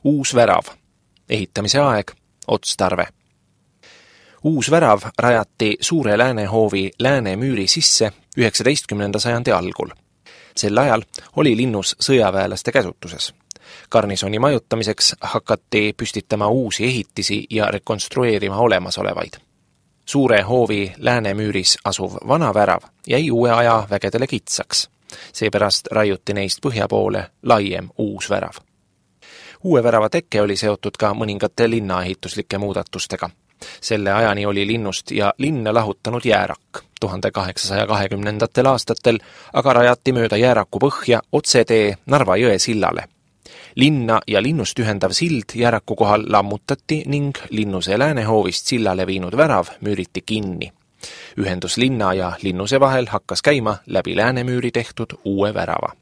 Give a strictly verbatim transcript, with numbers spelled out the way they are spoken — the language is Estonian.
Uus värav. Ehitamise aeg. Otstarve. Uus värav rajati Suure Läänehoovi Läänemüüri sisse üheksateistkümnenda sajandi algul. Sel ajal oli linnus sõjaväelaste käsutuses. Garnisoni majutamiseks hakati püstitama uusi ehitisi ja rekonstrueerima olemasolevaid. Suure hoovi Läänemüüris asuv vana värav jäi uue aja vägedele kitsaks. Seepärast raiuti neist põhja poole laiem uus värav. Uue värava tekke oli seotud ka mõningate linnaehituslike muudatustega. Selle ajani oli linnust ja linna lahutanud jäärak. tuhande kaheksasaja kahekümnendatel aastatel aga rajati mööda jääraku põhja otsetee Narva jõe sillale. Linna ja linnust ühendav sild jääraku kohal lammutati ning linnuse Läänehoovist sillale viinud värav müüriti kinni. Ühendus linna ja linnuse vahel hakkas käima läbi Läänemüüri tehtud uue värava.